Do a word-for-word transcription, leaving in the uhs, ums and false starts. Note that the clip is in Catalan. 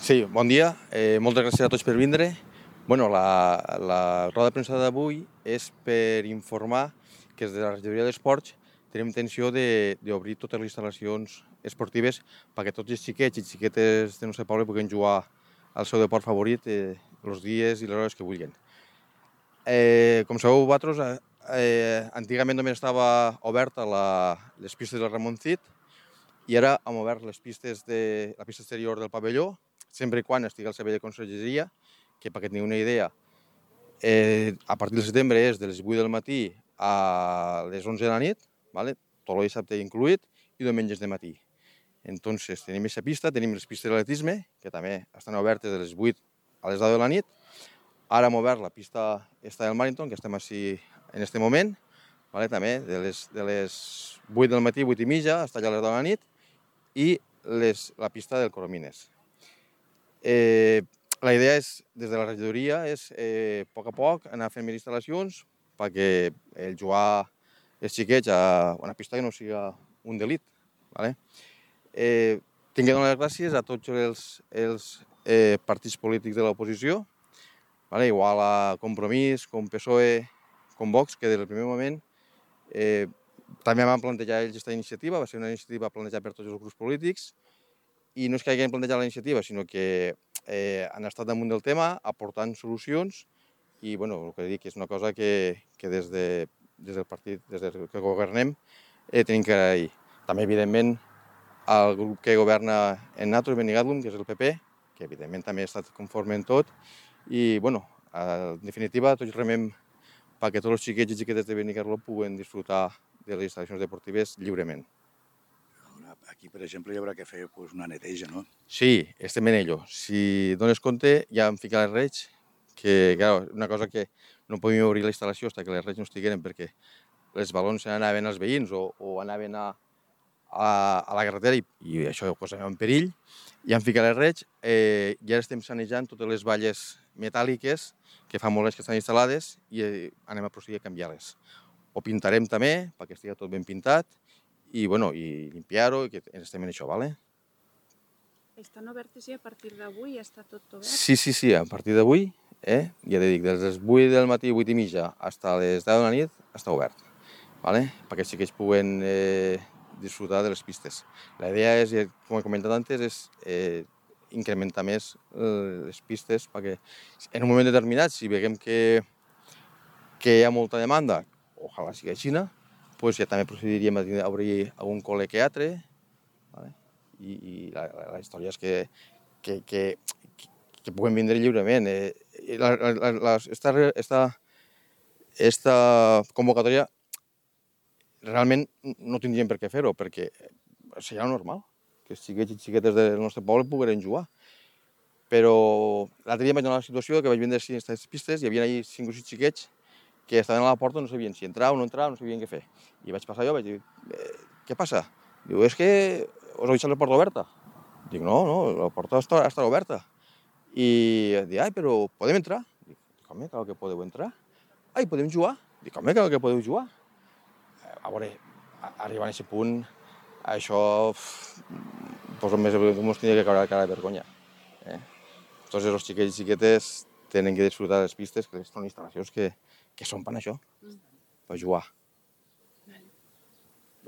Sí, bon dia. Eh, moltes gràcies a tots per vindre. Bueno, la, la roda de premsa d'avui és per informar que des de la regidoria d'Esports tenim intenció d'obrir totes les instal·lacions esportives perquè tots els xiquets i xiquetes del nostre poble puguin jugar al seu deport favorit eh, els dies i les hores que vulguin. Eh, com sabeu vosaltres, eh, antigament només estava oberta la, les pistes del Ramon Cid i ara hem obert les pistes de la pista exterior del pavelló, sempre i quan estigui al servei de consergeria, que perquè teniu una idea, eh, a partir del setembre és de les vuit del matí a les onze de la nit, ¿vale? Tot el dissabte incluït, i diumenges de matí. Entonces, tenim aquesta pista, tenim les pistes d'atletisme, que també estan obertes de les vuit a les deu de la nit. Ara hem obert la pista esta del Màriton, que estem així en aquest moment, ¿vale? També de les, de les vuit del matí, vuit i mitja, fins a les deu de la nit, i les, la pista del Coromines. Eh, la idea és, des de la regidoria, és eh, a poc a poc anar fent més instal·lacions perquè el jugar els xiquets a una pista que no sigui un delit. ¿Vale? Eh, tinc que donar les gràcies a tots els, els eh, partits polítics de l'oposició, ¿vale? Igual a Compromís, com P S O E, com Vox, que des del primer moment eh, també van plantejar ells aquesta iniciativa, va ser una iniciativa plantejada per tots els grups polítics, i no és que hagin plantejat la iniciativa, sinó que eh, han estat damunt del tema, aportant solucions, i bueno, el que dic és una cosa que, que des, de, des del partit, des del que governem, eh, tenim que agrair. També, evidentment, al grup que governa en Natos, Benigadum, que és el P P, que evidentment també ha estat conforme en tot, i bueno, en definitiva, tots remem perquè tots els xiquets i xiquetes de Benicarló puguen disfrutar de les instal·lacions deportives lliurement. Aquí, per exemple, hi haurà que fer pues, una neteja, no? Sí, estem en ello. Si dones compte, ja hem ficat les regs, que clar, una cosa que no podíem obrir la instal·lació fins que les regs no estigueren perquè els balons anaven als veïns o, o anaven a, a, a la carretera i, i això ho posàvem en perill. Ja hem ficat les regs eh, i ara estem sanejant totes les valles metàl·liques que fa molt anys que estan instal·lades i eh, anem a procedir a canviar-les. Ho pintarem també perquè estigui tot ben pintat i, bueno, i limpiar-ho, i que estem en això, ¿vale? Estan obertes ja a partir d'avui? Ja està tot obert? Sí, sí, sí, a partir d'avui, eh, ja te dic, des de les vuit del matí, vuit i mitja, fins a les deu de la nit, està obert, ¿vale? Perquè sí que ells puguen eh, disfrutar de les pistes. La idea és, com he comentat antes, és eh, incrementar més eh, les pistes perquè en un moment determinat, si veiem que, que hi ha molta demanda, ojalà sigui així, pues ja també procediríem a obrir algun col·le que altre, ¿vale? I, i la, la, la història és que, que, que, que puguem vindre lliurement. Eh, la, la, la, esta, esta, esta convocatòria realment no tindríem per què fer-ho, perquè seria normal que els xiquets i xiquetes del nostre poble pogueren jugar. Però l'altre dia vaig donar la situació que vaig vindre a aquestes pistes, hi havia allà cinc o sis xiquets que estaven a la porta, no sabien si entrar o no entrar, no sabien què fer. I vaig passar jo, vaig dir, eh, què passa? Diu, és que us heu deixat la porta oberta. Dic, no, no, la porta està, està oberta. I dic, ai, però podem entrar? Dic, home, clar que podeu entrar. Ai, podem jugar? Dic, home, clar que podeu jugar. A veure, arribant a aquest punt, això, pues, més ens tindria que caure cara de vergonya. Eh? Tots els xiquets i xiquetes tenen que disfrutar de les pistes, que són instal·lacions que, que són per això, per jugar.